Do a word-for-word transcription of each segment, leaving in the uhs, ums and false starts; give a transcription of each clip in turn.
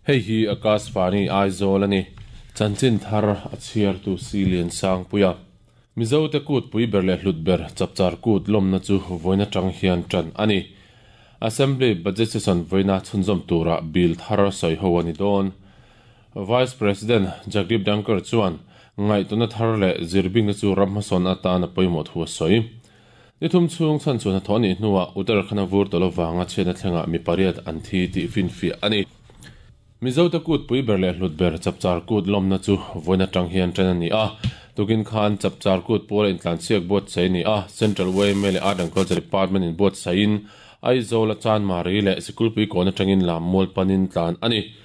Hei hi Akashvani Aizawl ani. Chanchin thar a chhiar tu Silian Sangpuia. Mizo te kut pui ber leh hlut ber chapchar kut lawmna chu vawiin atang hian tan ani. Assembly budget session vawiina chhunzawm tura bill thar sawi ho ani dawn. Vice President Jagdeep Dhankhar chuan ngaihtuahna thar leh zirbingna chu ram hmasawn atana pawimawh thu a sawi. Ni thum chhung chhan chuan hnathawh anih hnuah Uttarakhand a vur tawlh avanga chhiatna thlengah mi pariat an thi tih finfiah ani. Mizo te kut pui ber leh hlut ber chapchar kut lawmna chu vawiin atang hian tan ani a. Tukin khan chapchar kut pawl a intlansiak buatsaih ani a. Central Y M A leh Art and Culture Department in buatsaihin Aizawl a Chanmari leh Sikulpui kawn atangin lam mual panin tlan ani.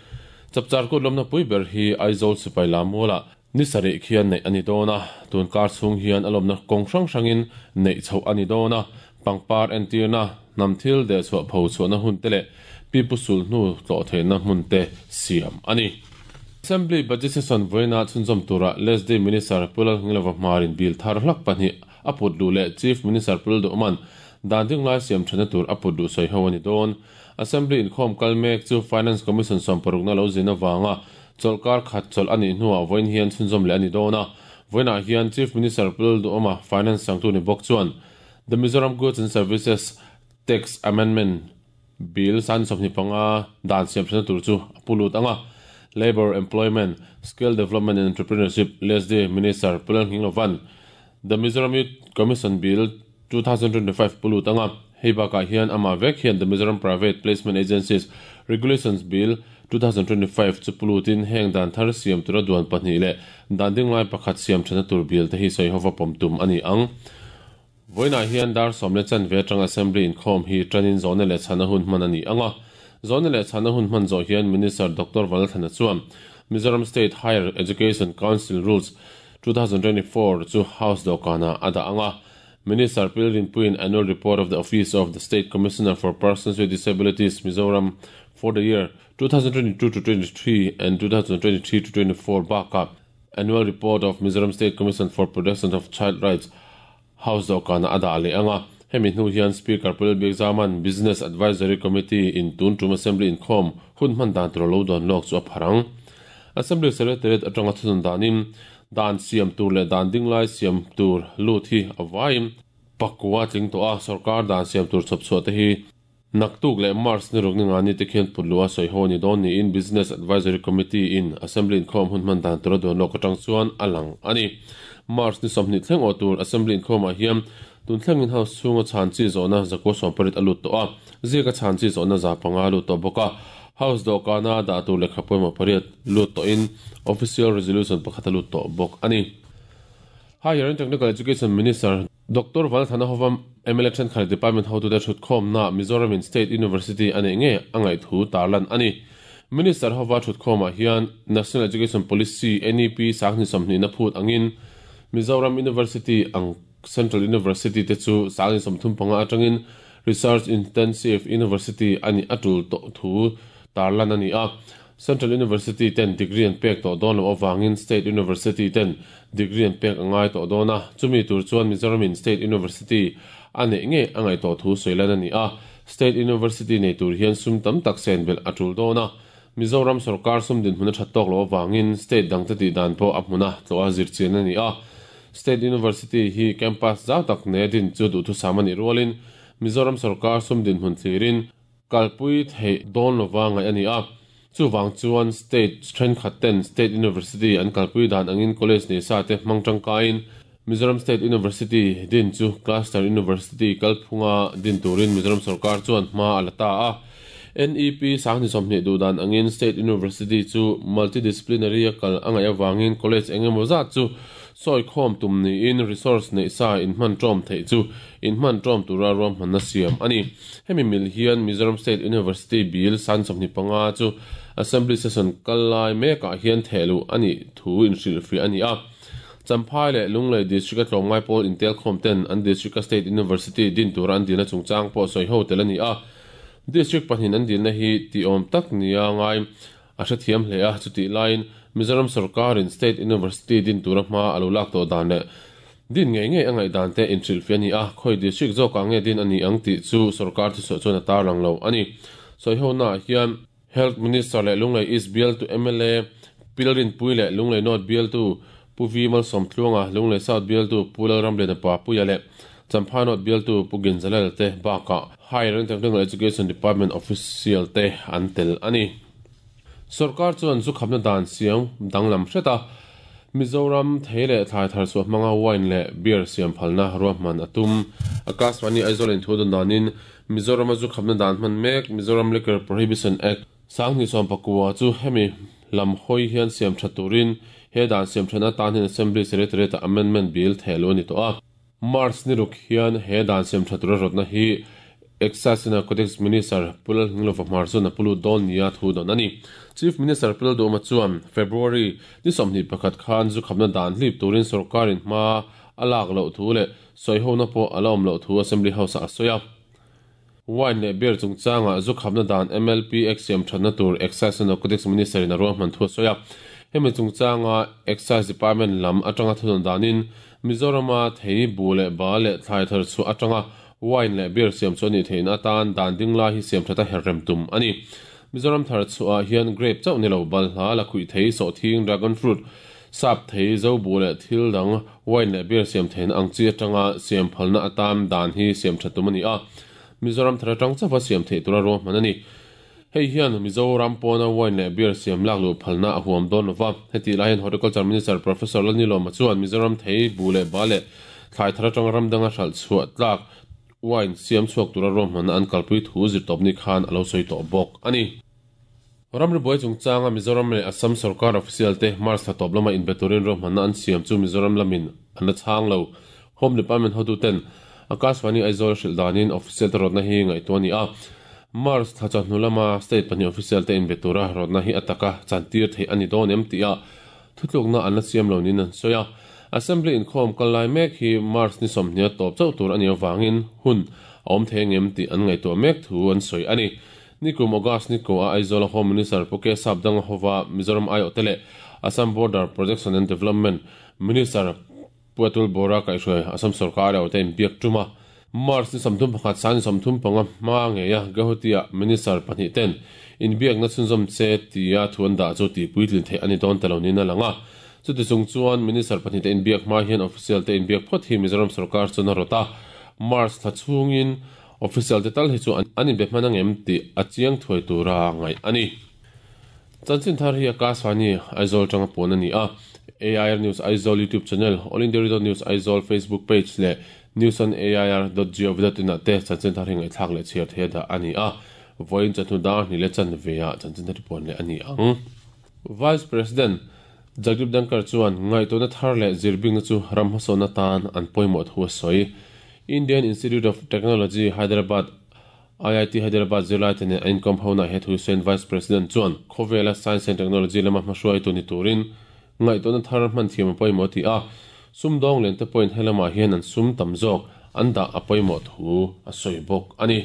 Chapchar kut lawmna pui ber hi Aizawl sipai lam mualah ni sarih khian neih ani dawn a. Tun kar chhung hian a lawmna kawng hrang hrangin neih chhoh ani dawn a. Pangpar entirna, hnam thil deh chhuah pho chhuahna hun te leh pipu sul hnu tlawh theihna hmun te siam ani. Assembly budget session vawiina chhunzawm tura Leslie Minister Pulal Ngilova hmarin bill thar hlak pahnih a put duh leh Chief Minister Pulal Duhman dan ding lai siam thana tur a put duh sawi ho ani dawn. Assembly inkhawm kal mek chu Finance Commission sawm parukna lo zin avanga chawlhkar khat chawlh anih hnuah vawiin hian chhunzawm leh ani dawn a. Vawiinah hian Chief Minister Pulal Duhoma, Finance changtu ni bawk chuan The Mizoram Goods and Services Tax Amendment Bill san sawmhnih panga dan siam thana tur chu a pulut anga. Labour, Employment, Skill Development and Entrepreneurship Leslie Minister Pulal Nghinglovan'n The Mizoram Youth Commission Bill twenty twenty-five pulut anga. Hei bakah hian amah vek hian The Mizoram Private Placement Agencies Regulations Bill twenty twenty-five chu pulutin heng dan thar siam tura duan pahnih leh dan ding lai pakhat siam thana tur bill te hi sawi hova pawm tum ani ang. Vawiinah hian dar sawm le chanve atang Assembly inkhawm hi tanin zawhna leh chhana hun hman ani anga. Zawhna leh chhana hun hman zawh hian Minister Doctor Vanlalthlana chuan Mizoram State Higher Education Council Rules twenty twenty-four chu House dawhkanah a dah anga. Minister Pi Rinpuiin Annual Report of the Office of the State Commissioner for Persons with Disabilities, Mizoram for the year twenty twenty-two to twenty-three and twenty twenty-three to twenty-four bakah Annual Report of Mizoram State Commission for Protection of Child Rights House dawhkanah a dah leh anga. Hemi hnu hian Speaker Pu Lalbiakzama'n Business Advisory Committee in tun tum Assembly inkhawm hun hman dan tur lo dawn lawk chu a pharang. Assembly Secretariat atanga thunun danin dan siam tur leh dan ding lai siam tur lut hi a vaim pakua tling tawh a. Sarkar dan siam tur chhawp chhuah te hi naktuk leh March ni ruk ni nga ni te khian put lua sawi ho ni dawn niin Business Advisory Committee in Assembly inkhawm hun hman dan tur a dawn lawk atang chuan a lang ani. March ni sawmhnih thleng aw tur Assembly inkhawmah hian tun thlengin House chhunga chhan chi zawhna zakua sawm pariat a lut tawh a, ziaka chhan chi zawhna za panga a lut tawh bawk a. House dawhkana dah tur lehkha pawimawh pariat lut tawhin official resolution pakhat a lut tawh bawk ani. Higher and Technical Education Minister Doctor Vanlalthlana hova M L A thenkhat department hotute thutkhawmna Mizoram in State University a neih nge a ngaih thu tarlan ani. Minister hova thutkhawmah hian National Education Policy N E P sanghnih sawmhnih na phut angin Mizoram University ang Central University te chu sanghnih sawmthum panga atangin Research Intensive University ani atul tawh thu tarlan ani a. Central University ten degree an pek tawh dawn lo awangin State University ten degree an pek angai tawh dawn a. Chumi tur chuan Mizoram in State University a neih nge a ngaih tawh thu sawilan ani a. State University nei tur hian sum tam tak sen belh a tul dawn a. Mizoram sarkar sum din hmuna that tawk lo awangin state dang te tih dan pawh a hmuna tlawh a zirchian ani a. State University hi campus zau tak ne din chu duh thu sam ani rualin Mizoram sarkar sum din hmun thlirin kalpui thei dawn lova ngai ani a. Chuwang chuan state thenkhat ten State University an kalpui dan angin college nei sa te hmang tangkain Mizoram State University din chu Cluster University kalphunga din turin Mizoram sarkar chuan hma a la ta a. N E P sanghnih sawmhnih duh dan angin State University chu multidisciplinary a kal angai awangin college engemaw zat chu sawi khawm tum niin resource nei sa in hman tawm theih chu in hman tawm tura ruam hmanna siam ani. Hemi mil hian Mizoram State University Bill san sawmhnih panga chu Assembly session kal lai mekah hian thehluh ani thu inhrilhfiah ani a. Champhai leh Lunglei District a tlawmngai pawl intel khawm ten an District a State University din tura an dilna chungchang pawh sawi ho tel ani a. District pahnih an dilna hi ti awm tak nia ngai a hrethiam hle a. Chutih laiin Mizoram sarkarin State University din tura hma a lo lak tawh dan leh din ngei ngei a ngaih dan te inhrilhfiah ani a. Khawi district zawkah nge din ani ang tih chu sarkar thuchhuah chuan a tarlang lo ani. Sawi ho naah hian Health Minister leh Lunglei East bialtu M L A Pi Lalrinpuii leh Lunglei North bialtu Pu V Malsawmtluanga, Lunglei South bialtu Pu Lalramliana Papuia leh Champhai North bialtu Pu Ginzalel te bakah Higher and Technical Education Department official te an tel a ni. Sorkar chuan zu khapna dan siam danglam hret a, Mizoram thei leh thlai thar chhuah hmanga wine leh beer siam phalna ruahman a tum. Akashvani Aizawl in thu dawn danin Mizorama zu khapna dan hman mek Mizoram Liquor Prohibition Act sanghnih sawm pakua chu hemi lam hawi hian siam tha turin he dan siam thana tan hian Assembly Secretariat Amendment Bill thehlu a ni tawh a. March ni ruk hian he dan siam tha tura rawtna hi Excise and Narcotics Minister Pu Lalnghinglova Hmar chuan a pulu dawn nia thu dawn a ni. Chief Minister Pu Lalduhoma chuan February ni sawmhnih pakhat khan zu khapna dan hlip turin sorkarin hma a lak loh thu leh sawihona pawh a la awm loh thu Assembly House ah a sawi a. Wine leh beer chungchangah zu khapna dan M L P Act siam thatna tur Excise and Narcotics Minister in a ruahman thu a sawi a. Hemi chungchanga Excise Department lam atanga thu dawn danin Mizorama thei bu leh ba leh thlai thar chhuah atanga wine leh beer siam chu ani theihna atan dan ding lai hi siam thata herrem tum ani. Mizoram thar chhuah hian grape chauh ni lo balhla la khuih thei sawhthing dragon fruit sap thei zo bu leh thil dang wine leh beer siam theihna ang chi atanga siam phalna atan dan hi siam tha tum ani a. Mizoram thar atang chawa siam theih tura ruahman ani. Hei hian Mizoram pawna wine leh beer siam lak luh phalna a huam dawn lova. Heti lai hian Horticulture Minister Professor Lalnilawma chuan Mizoram thei bu leh ba leh thlai thar atanga ram danga hralh chhuah tlak wine siam chhuak tura ruahmanna an kalpui thu zirtawp ni khan a lo sawi tawh bawk ani. Ramri buai chungchanga Mizoram leh Assam sarkar official te March thla tawp lama inbe turin ruahmanna an siam chu Mizoram lamin an la chhang lo. Home Department hotu ten Akashvani Aizawl hrilh danin official te rawtna hi ngaihtuah ani a. March thla chawhnu lama state pahnih official te inbe tura rawtna hi ataka chantir theih ani dawn em tih a thutlukna an la siam lo niin an sawi a. Assembly inkhawm kal lai mek hi March ni sawmhnih a tawp chauh tur ani avangin hun a awm thei ngem tih an ngaihtuah mek thu an sawi ani. Nikum August ni ko a Aizawl Home Minister Pu K Sapdanga hova Mizoram aiawh te leh Assam Border Protection and Development Minister Pu Atul Bora kaihhruai Assam sarkar aiawh te inbiak tum a. March ni sawmthum pakhat sang sawmthum panga hma ngeia Guwahati-ah Minister pahnih ten inbiakna chhunzawm che tia thu an dah chu tihpuitlin theih ani dawn ta lo niin a lang a. Chuti chung chuan Minister pahnih te inbiak hma hian official te inbiak phawt hi Mizoram sarkar chuan a rawt a. March thla chhungin official te tal hi chu an inbe hman angem tih a chiang thuai tura ngaih ani. Chanchin thar hi Akashvani Aizawl tanga puan ani a. A I R News Aizawl YouTube channel, All India Radio News Aizawl Facebook page leh news on A I R dot gov dot in ah te chanchin thar hi ngaihthlak leh chhiar thei dah ani a. Vawiin chawhnu dar hnih leh chanve ah chanchin thar hi puan leh ani ang. Vice President Jagdeep Dhankhar chuan ngaihtuahna thar leh zirbingna chu ram hmasawnna tan an pawimawh thu a sawi. Indian Institute of Technology Hyderabad I I T Hyderabad zirlai te nen an inkawm hona he thu sawiin Vice President chuan khawvela Science and Technology lama hmahruai tu ni turin ngaihtuahna thar hman thiam a pawimawh ti a. Sumdawng lian te pawhin helamah hian an sum tam zawk an dah a pawimawh thu a sawi bawk ani.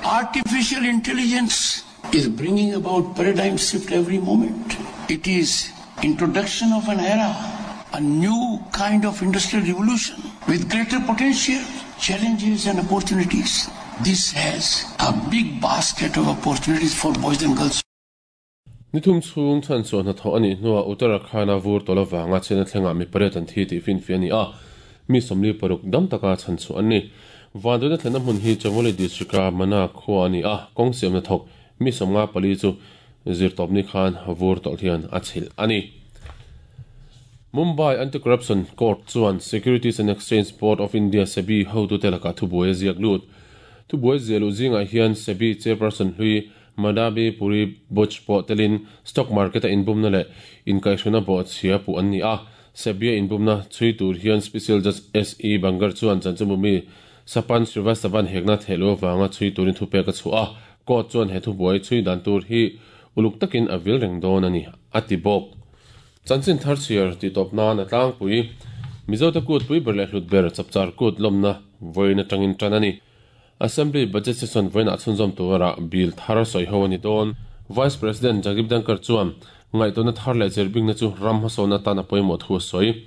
Artificial intelligence is bringing about paradigm shift every moment. It is introduction of an era, a new kind of industrial revolution with greater potential, challenges and opportunities. This has a big basket of opportunities for boys and girls. Ni thum chhung chhan chuan hnathawh anih hnuah Uttarakhand-a vur tawlh avanga chhiatna thlengah mi pariat an thi tih finfi ani a. Mi sawmli paruk dam taka chhan chu an ni. Vanduaina thlenna hmun hi Chamoli district-a Mana khua ani a. Kawng siamna thawk mi sawmnga pali chu zirtawp ni khan vur tawlh hian a chhilh ani. Mumbai Anti-Corruption Court chuan Securities and Exchange Board of India SEBI hotu te lakah thubuai a ziak lut. Thubuai ziah luh zingah hian SEBI chairperson hlui Madhabi Puri Buch pawh telin stock market a inbumna leh inkaihhruna bawh chhia puh an ni a. SEBI a inbumna chhui tur hian Special Judge S E Bangar chuan chanchinbumi Sapan Srivastavan hekna thehlu avanga chhui turin thupek a chhuah a. Court chuan he thubuai chhui dan tur hi uluk takin a vil reng dawn ani a ti bawk. Chanchin thar chhiar ti tawp nan a tlangpui Mizo te kut pui ber leh hlut ber Chapchar Kut lawmna vawiin atangin tan ani. Assembly budget session vawiin ah chhunzawm tura bill thar sawi ho ani dawn. Vice President Jagdeep Dhankhar chuan ngaihtuahna thar leh zirbingna chu ram hmasawnna tan a pawimawh thu a sawi.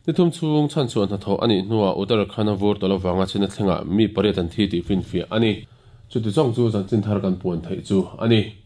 Ni thum chhung chhan chuan hnathawh anih hnuah Uttarakhand-a vur tawlh avanga chhiatna thlengah mi pariat an thi tih finfiah ani. Chuti chawng chu chanchin thar kan puan theih chu ani.